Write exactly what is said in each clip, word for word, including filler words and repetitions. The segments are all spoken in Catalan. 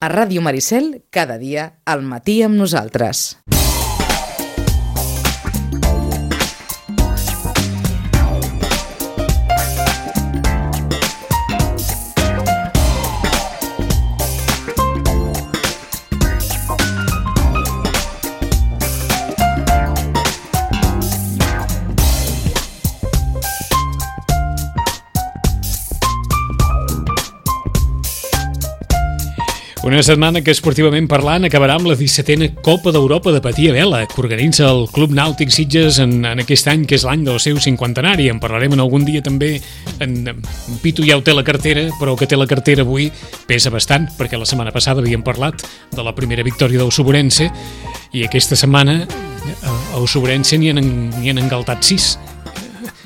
A Ràdio Maricel, cada dia, al matí amb nosaltres. Una setmana que, esportivament parlant, acabarà amb la dissetena Copa d'Europa de Patí a Vela, que organitza el Club Nàutic Sitges en, en aquest any, que és l'any del seu cinquantenari. En parlarem en algun dia també. En, en Pitu ja ho té la cartera, però que té la cartera avui pesa bastant, perquè la setmana passada havíem parlat de la primera victòria del Suburense, i aquesta setmana al Suburense n'hi han, n'hi han engaltat sis.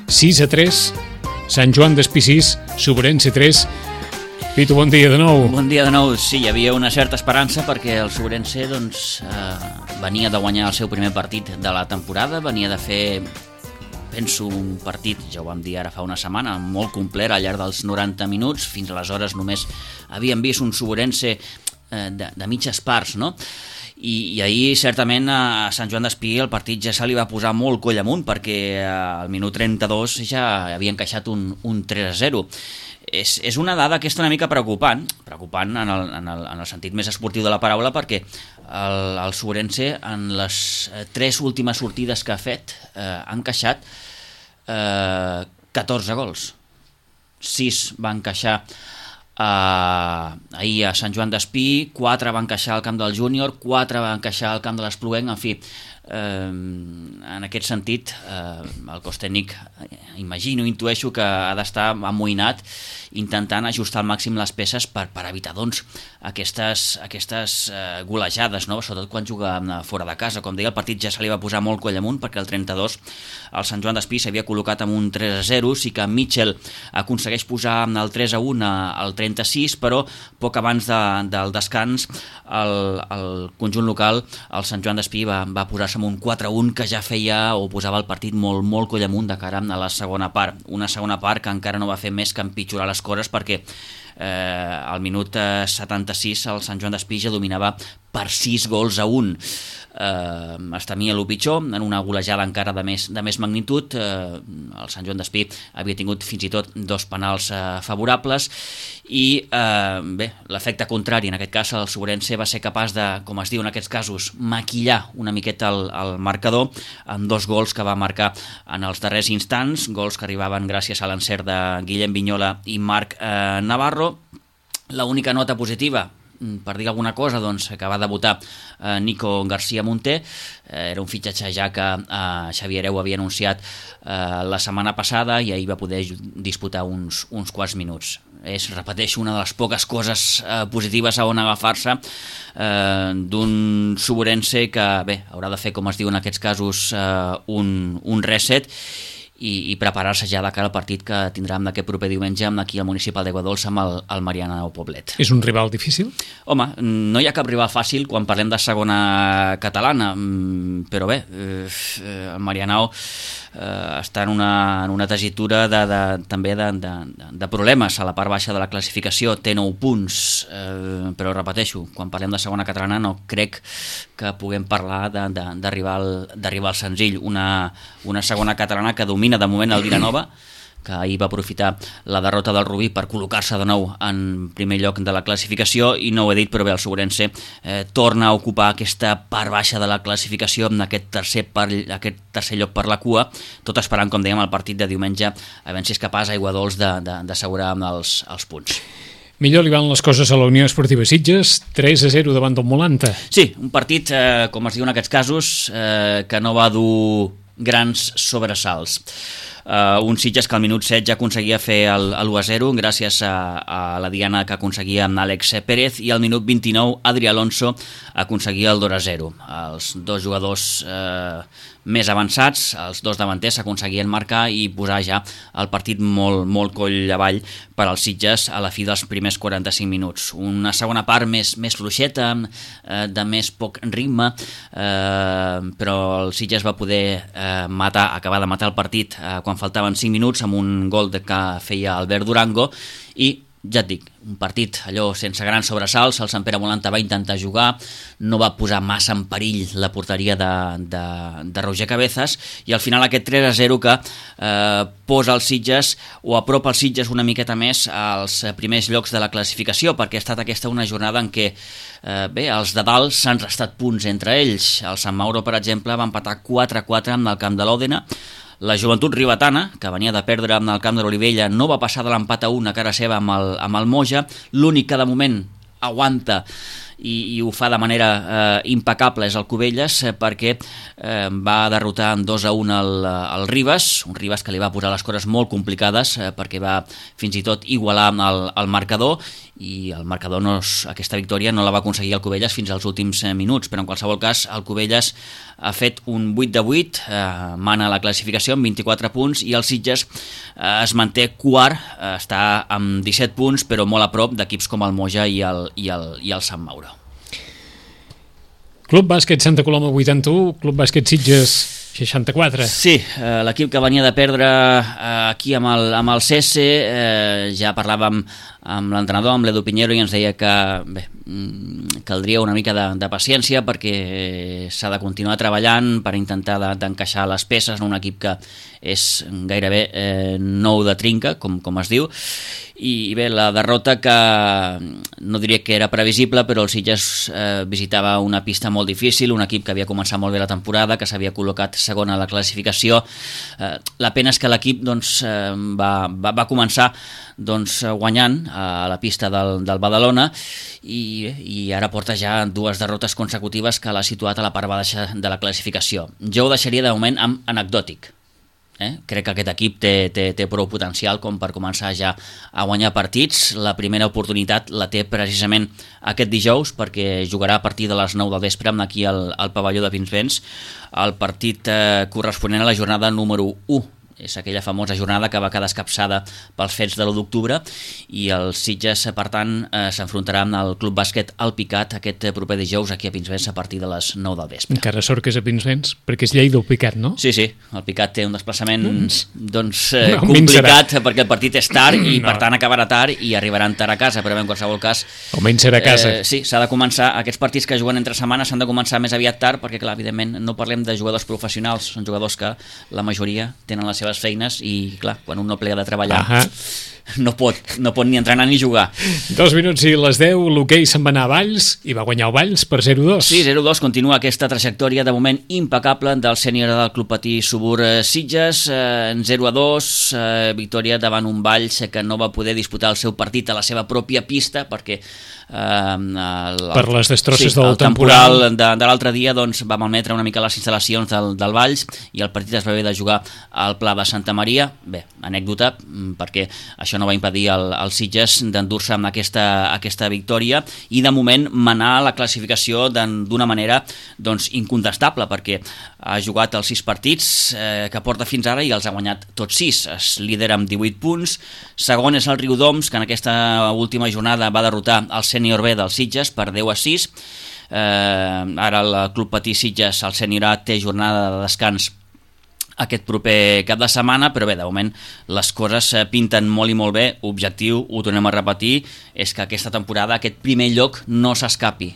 sis a tres, Sant Joan d'Espí sis, Suburense tres. Pitu, bon dia de nou. Bon dia de nou. Sí, hi havia una certa esperança perquè el Suburense doncs, eh, venia de guanyar el seu primer partit de la temporada, venia de fer, penso, un partit, ja ho vam dir ara fa una setmana, molt complet al llarg dels noranta minuts. Fins aleshores només havíem vist un Suburense eh, de, de mitges parts, no? I, i ahir certament a Sant Joan d'Espí el partit ja se li va posar molt coll amunt, perquè al minut trenta-dos ja havia encaixat un, un tres a zero. És, és una dada que és una mica preocupant, preocupant en el, en, el, en el sentit més esportiu de la paraula, perquè el, el Suburense en les tres últimes sortides que ha fet eh, ha encaixat eh, catorze gols. sis va encaixar eh, ahir a Sant Joan d'Espí, quatre va encaixar al camp del Júnior, quatre va encaixar al camp de l'Espluguenc. En fi, eh, en aquest sentit eh, el cos tècnic, imagino, intueixo que ha d'estar amoïnat intentant ajustar al màxim les peces per, per evitar doncs, aquestes, aquestes eh, golejades, no? Sobretot quan juga fora de casa. Com deia, el partit ja se li va posar molt coll amunt, perquè el trenta-dos el Sant Joan d'Espí s'havia col·locat amb un tres a zero. Sí que Mitchell aconsegueix posar el tres a un al trenta-sis, però poc abans de, del descans el, el conjunt local, el Sant Joan d'Espí, va, va posar-se amb un quatre a un que ja feia o posava el partit molt, molt coll amunt de cara a la segona part. Una segona part que encara no va fer més que empitjorar les coses, perquè eh, al minut setanta-sis el Sant Joan d'Espí ja dominava per sis gols a un. Eh, es temia el pitjor, en una golejada encara de més, de més magnitud. Eh, el Sant Joan d'Espí havia tingut fins i tot dos penals eh, favorables i eh, bé, l'efecte contrari, en aquest cas el Suburense va ser capaç de, com es diu en aquests casos, maquillar una miqueta el, el marcador amb dos gols que va marcar en els darrers instants, gols que arribaven gràcies a l'encert de Guillem Vignola i Marc eh, Navarro. L'única nota positiva, per dir alguna cosa, doncs, que va debutar eh, Nico García Monter. Eh, era un fitxatge ja que eh, Xavier Hereu havia anunciat eh, la setmana passada i ahir va poder disputar uns, uns quants minuts. És, repeteixo, una de les poques coses eh, positives a on agafar-se eh, d'un Suburense que, bé, haurà de fer, com es diu en aquests casos, eh, un, un reset i, i preparar-se ja de cara al partit que tindrem d'aquest proper diumenge aquí al municipal d'Aigua Dolça amb el, el Mariana o Poblet. És un rival difícil? Home, no hi ha cap rival fàcil quan parlem de segona catalana, però bé, eh, el Marianao eh, està en una, en una tessitura de, de, també de, de, de problemes a la part baixa de la classificació. Té nou punts, eh, però repeteixo, quan parlem de segona catalana no crec que puguem parlar de, de, de, rival, de rival senzill. Una, una segona catalana que domina de moment el Vilanova, que ahir va aprofitar la derrota del Rubí per col·locar-se de nou en primer lloc de la classificació, i no ho he dit, però bé, el Suburense eh, torna a ocupar aquesta part baixa de la classificació amb aquest tercer, per, aquest tercer lloc per la cua, tot esperant, com dèiem, el partit de diumenge, a veure si és capaç Aiguadols d'assegurar els, els punts. Millor li van les coses a la Unió Esportiva Sitges, tres a zero davant del Molanta. Sí, un partit, eh, com es diu en aquests casos, eh, que no va dur grans sobresalts. Uh, un Sitges que al minut set ja aconseguia fer el, l'u a zero gràcies a, a la diana que aconseguia amb Àlex Pérez, i al minut vint-i-nou Adri Alonso aconseguia el dos a zero. Els dos jugadors eh, més avançats, els dos davanters, aconseguien marcar i posar ja el partit molt, molt coll avall per als Sitges a la fi dels primers quaranta-cinc minuts. Una segona part més, més fluixeta, eh, de més poc ritme, eh, però el Sitges va poder eh, matar, acabar de matar el partit eh, quan faltaven cinc minuts amb un gol que feia Albert Durango, i ja et dic, un partit allò sense grans sobresalts, el Sant Pere Molanta va intentar jugar, no va posar massa en perill la porteria de, de, de Roger Cabezas, i al final aquest tres a zero que eh, posa els Sitges o apropa els Sitges una miqueta més als primers llocs de la classificació, perquè ha estat aquesta una jornada en què eh, bé, els de dalt s'han restat punts entre ells. El Sant Mauro, per exemple, va empatar quatre a quatre amb el camp de l'Òdena. La Joventut Ribetana, que venia de perdre amb el camp de l'Olivella, no va passar de l'empat a un a cara seva amb el, amb el Moja. L'únic que de moment aguanta i, i ho fa de manera eh, impecable és el Cubelles, eh, perquè eh, va derrotar en dos a un el, el Ribes, un Ribes que li va posar les coses molt complicades, eh, perquè va fins i tot igualar el, el marcador, i el marcador, no és, aquesta victòria no la va aconseguir el Cubelles fins als últims eh, minuts, però en qualsevol cas el Cubelles ha fet un vuit de vuit, eh, mana la classificació amb vint-i-quatre punts, i el Sitges eh, es manté quart, eh, està amb disset punts, però molt a prop d'equips com el Moja i el, i el, i el Sant Mauro. Club Bàsquet Santa Coloma vuitanta-u, Club Bàsquet Sitges seixanta-quatre. Sí, eh, l'equip que venia de perdre eh, aquí amb el, amb el C S, eh, ja parlàvem amb l'entrenador, amb l'Edu Pinheiro, i ens deia que bé, caldria una mica de, de paciència perquè s'ha de continuar treballant per intentar de, d'encaixar les peces en un equip que és gairebé eh, nou de trinca, com, com es diu, i bé, la derrota que no diria que era previsible, però el Sitges eh, visitava una pista molt difícil, un equip que havia començat molt bé la temporada, que s'havia col·locat segon a la classificació. Eh, la pena és que l'equip doncs, eh, va, va, va començar doncs, guanyant a la pista del, del Badalona, i, i ara porta ja dues derrotes consecutives que l'ha situat a la part baixa de la classificació. Jo ho deixaria de moment amb anecdòtic. Eh? Crec que aquest equip té, té, té prou potencial com per començar ja a guanyar partits. La primera oportunitat la té precisament aquest dijous, perquè jugarà a partir de les nou del vespre aquí al, al pavelló de Pinsbens, el partit eh, corresponent a la jornada número u. És aquella famosa jornada que va quedar escapçada pels fets de l'u d'octubre, i el Sitges, per tant, eh, s'enfrontarà amb el Club Bàsquet Alpicat aquest proper dijous aquí a Pinsbens a partir de les nou del vespre. Encara sort que és a Pinsbens, perquè és Lleida o Picat, no? Sí, sí, el Picat té un desplaçament doncs, doncs eh, no, complicat, perquè el partit és tard i no. per tant acabarà tard i arribaran tard a casa, però en qualsevol cas... Almenys serà a casa. Eh, sí, s'ha de començar, aquests partits que juguen entre setmanes s'han de començar més aviat tard, perquè clar, evidentment no parlem de jugadors professionals, són jugadors que la majoria tenen les seves feines i clar, quan un no plega de treballar Ahà. no pot, no pot ni entrenar ni jugar. Dos minuts i les deu, l'hoquei se'n va anar a Valls i va guanyar el Valls per zero a dos. Sí, zero a dos, continua aquesta trajectòria de moment impecable del sènior del Club Patí Subur Sitges, eh, zero a dos, eh, victòria davant un Valls que no va poder disputar el seu partit a la seva pròpia pista perquè eh, el, per les destrosses sí, del el temporal, temporal de, de l'altre dia doncs, va malmetre una mica les instal·lacions del, del Valls i el partit es va haver de jugar al Pla de Santa Maria. Bé, anècdota, perquè això no va impedir al, al Sitges d'endur-se amb aquesta, aquesta victòria i de moment manar la classificació d'una manera doncs, incontestable, perquè ha jugat els sis partits eh, que porta fins ara i els ha guanyat tots sis. Es lidera amb divuit punts, segon és el Riudoms, que en aquesta última jornada va derrotar el sènior B del Sitges per deu a sis. Eh, ara el Club Patí Sitges, el sènior A, té jornada de descans aquest proper cap de setmana, però bé, de moment les coses pinten molt i molt bé. Objectiu, ho tornem a repetir, és que aquesta temporada aquest primer lloc no s'escapi,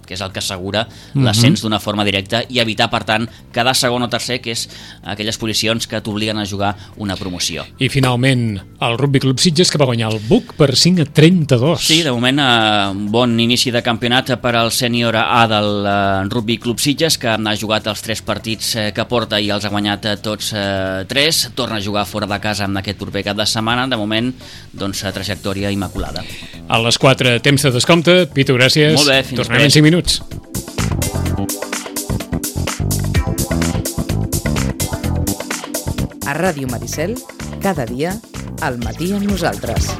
que és el que assegura mm-hmm. l'ascens d'una forma directa i evitar, per tant, cada segon o tercer, que és aquelles posicions que t'obliguen a jugar una promoció. I finalment, el Rugby Club Sitges, que va guanyar el Buc per cinc a trenta-dos. Sí, de moment, eh, un bon inici de campionat per al sènior A del eh, Rugby Club Sitges, que ha jugat els tres partits eh, que porta i els ha guanyat eh, tots eh, tres. Torna a jugar fora de casa amb aquest proper cap de setmana. De moment, doncs, trajectòria immaculada. A les quatre, temps de descompte. Pitu, gràcies. Molt bé, fins Tornem en cinc minuts. A Ràdio Maricel, cada dia, al matí amb nosaltres.